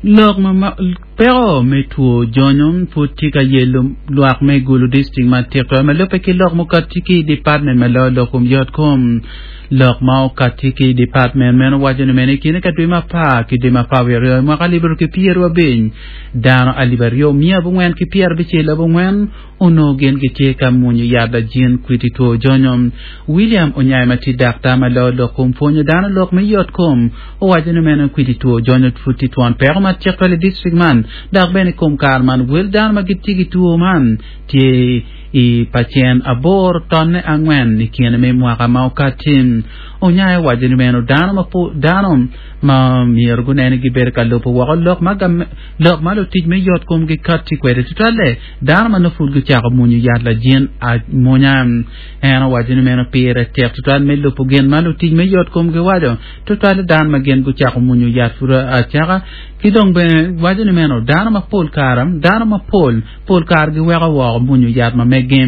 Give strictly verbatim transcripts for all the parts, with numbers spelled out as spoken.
Lok ma peko me two jonyo pud tye ka yelo lwak me Gulu district matek twal ma lubbe ki lok mukati ki i department ma loyo lok kom yot kom lok ma okati ki i department meno waco ni meno i kine ka dwe ma apar ki dwe ma apar wiye aryo mwaka alip aryo ki pyeraryo abic dano alip aryo miya abongwen ki pyerabicel abongwen onongo gin gitye ka mwonyo yat lajin kwiti two jonyo William Onyai ma tye daktar ma loyo lok kom pwonyo dano lok me yot kom owaco ni meno kwiti two jonyo pud tye twon peko matek twal i district man dok bene i kom kare man wel dano ma gitye ki two man tye i pacen aboro tonne angwen i kine me mwaka ma okati Onyai owaco ni meno dano ma dano ma myero gunene gibedo ka lubo woko lok ma lok ma lutic me yot kom gikati kwede tutwalle dano ma nongo pud gucako mwonyo yat lajin amwonya en owaco ni meno pire tek tutwal me lubo gin ma lutic me yot kom giwaco tutwalle dano ma gin gucako mwonyo yat pud acaka ki dong bene waco ni meno dano mapol kare dano mapol pol kare giweko woko mwonyo yat ma meggi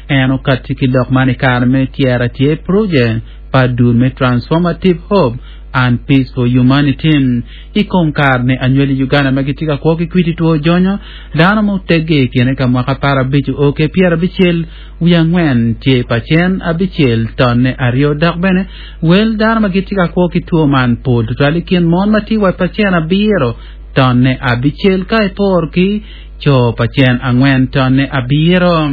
en okati ki lok man i kare me tyero tye project pa dul me Transformative Hope and Peace for Humanity i kom kare ni anywali Uganda ma gitye ka kwo ki kwiti two jonyo dano mutegge i kine ka mwaka apar abic o ke pyerabicel wiye angwen tye pacen abicel tonne aryo dok bene wel dano ma gitye ka kwo ki two man pol tutwal i kin mon ma tye wa pacen abiro tonne abicel ka iporo ki co pacen angwen tonne abiro.